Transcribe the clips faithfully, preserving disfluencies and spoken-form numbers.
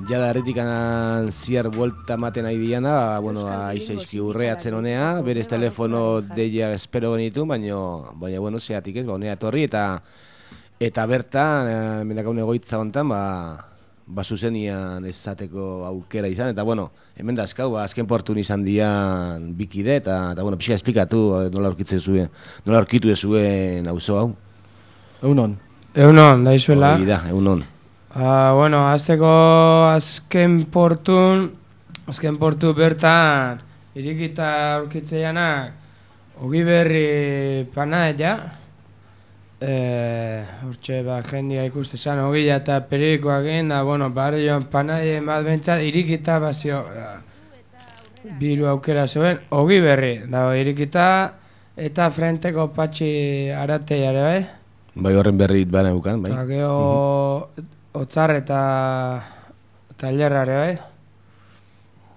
jada erretikan ziar buelta maten nahi diana, bueno, aizaizki urreatzen honea, berez telefono deia espero genitu, baina, baina, bueno, zeatik ez, ba, honea etorri, eta eta bertan, e, mendakaun egoitza hontan, ba, ba zuzenian ezateko aukera izan, eta, bueno, hemen da azkau, ba, azken portun izan dian bikide, eta, eta bueno, pixka esplikatu nola aurkitzen zuen, nola aurkitu zuen auzo hau. Egunon. Egunon, daizuela. Hori da, egunon. Ah, bueno, azteko azken portun, azken portu bertan, irikita aurkitzeianak, ogi berri panaia, eh, urtxe, ba, jendia ikuste zan, ogila eta perikoak egin, da, bueno, barri joan panaien bat bentsat, irikita bazio, biru aukera zuen, ogi berri, da, irikita, eta frenteko patxi arateiare, bai? Bai, horren berri bana eukan, bai. Eta geho, otzar eta tailerrare, bai?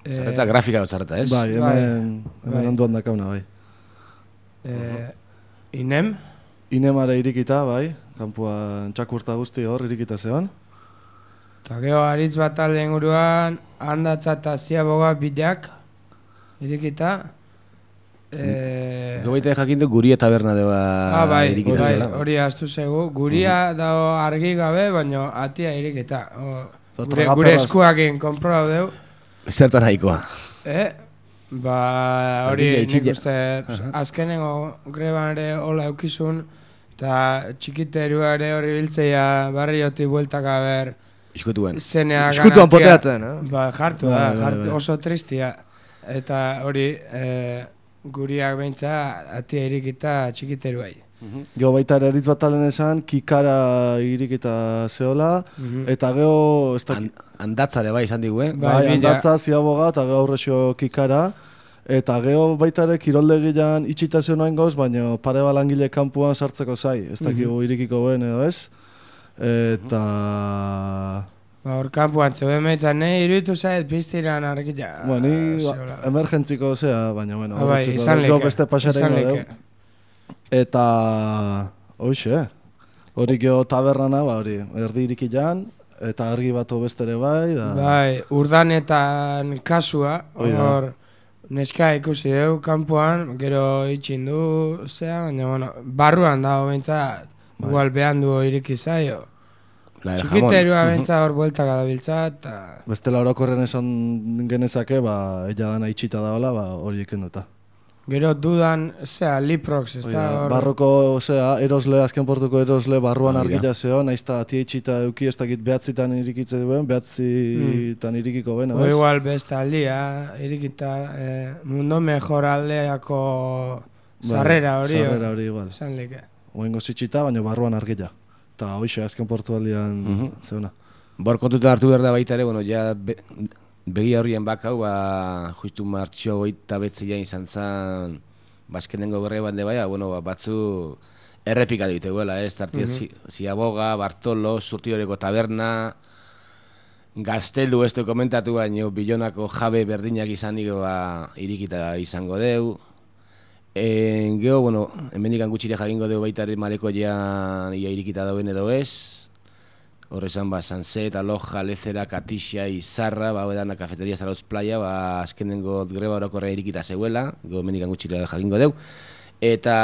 Otzarreta, grafika otzarreta, ez? Bai, hemen, hemen onduan dakauna, bai. Eh, inem? Inemare irikita, bai, kanpuan txakurta guzti hor irikita zeon. Eta geho, aritz bat alde inguruan, handatza eta ziaboga bilak, irikita. Eh, Gobaita jakin du Guria taberna deba ah, bai, irikita bai, zela. hori astu zego. Guria uh-huh. dago argi gabe, baina atia irikita. O, gure, tragaperras... gure eskuakin konproba deu. Zertan nahikoa. Eh? Ba, hori nik uste, azkenengo greban ere hola eukizun, eta txikiterua ere hori biltzeia barrioti bueltak haber. Iskutuen. Iskutuan poteatzen, eh? Ba, jartu, ba, jartu, oso tristia. Eta hori, eh, guriak behintza atia irikita txikiteruai. Geho baita ere eritz bat alen esan, kikara irikita zehola, eta geho... Handatzare bai izan digu, eh? Bai, handatza, ziaboga, eta geho aurrexo kikara. Eta geho baita ere kiroldegian itxita zeo noain goz, baina pare balangile kanpuan sartzeko zai. Ez dakigu irikiko behen edo ez. Eta... Ba, hor kanpuan zeuden meitzan, nahi iruditu zait piztiran argila. Bueno, ni emergentziko zea, baina, bueno, bai, izan leke, beste pasarengo deu. Eta, hoxe, hori geho taberrana, ba, hori, erdi irikilan, eta argi batu bestere bai, da... Bai, urdanetan kasua, hor, neska ikusi deu, kanpuan, gero itxindu, zea, baina, bueno, barruan dago bentsat, igual behan du iriki zaio. Txikiterua bentsa hor bueltak adabiltza, eta... Bestela orokorren esan genezake, ba, ella dana itxita daola, ba, hori ikenduta. Gero dudan, zea, Liprox, ez da hor... Barroko, zea, erosle, azken portuko erosle, barruan argila zeo, nahiz eta atia itxita euki, ez dakit behatzitan irikitze duen, behatzitan irikiko bena, ez? O igual beste aldia, irikita, mundo mejor aldeako sarrera hori, sarrera hori igual. Zan leke. Oengo zitxita, baina barruan argila. Eta hoxe, azken portu aldean zeuna. Bor kontutan hartu behar da baita ere, bueno, ja begia horrien bakau, ba, justu martxo goita betzia izan zen, bazkenengo gorre bande baina, bueno, batzu errepika dute guela, ez, tartia Ziaboga, Bartolo, Zurtioreko taberna, Gaztelu ez du komentatu baino, Bilonako jabe berdinak izan digo, ba, irikita izango deu. En, geho, bueno, hemenik gutxire jakingo dugu baita ere maleko jean ia irikita dauen edo ez. Horrezan, ba, Sanset, Aloja, Lezera, Katixia, Izarra, ba, edana kafeteria Zarauz Playa, ba, azkenengo greba orokorra irikita zeuela, geho hemenik gutxire jakingo dugu. Eta,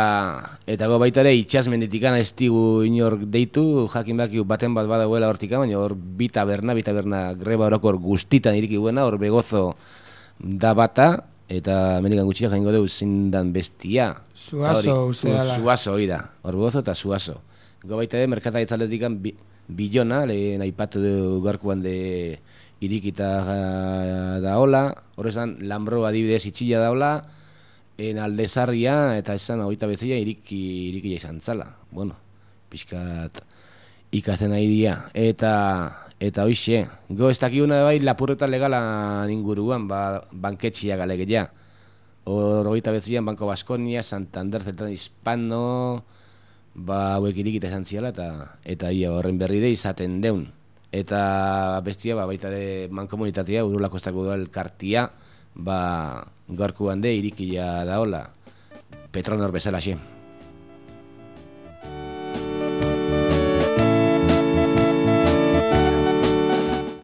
eta go baita ere itxasmenditikan ez digu inor deitu, jakin baki baten bat badagoela hortika, baina hor bi taberna, bi taberna greba orokor guztitan iriki buena, hor Begozo da bata, eta Amerikan gutxira jaingo dugu zindan bestia. Suazo, uste dala. Suazo, hori da. Hor Begozo eta Suazo. Go baita ere, merkataritza aldetikan Bilona, lehen aipatu dugu gaurkoan de irikita da hola. Horrezan, Lambro adibidez itxilla da hola. En Aldezarria eta esan hogeita bezia iriki, irikila izan zala. Bueno, pixkat ikasten nahi dia. Eta... Eta hoxe, go ez dakiguna bai lapurreta legala inguruan, ba, banketxia galegeia. Hor hogeita bezian Banko Baskonia, Santander, Zentrán Hispano, ba, hauek irikita esan ziala, eta, eta ia horren berri de izaten deun. Eta bestia, ba, baita de mankomunitatea, Urulako ez dago elkartia, ba, gaurkoan de irikila da hola, Petronor bezala xe.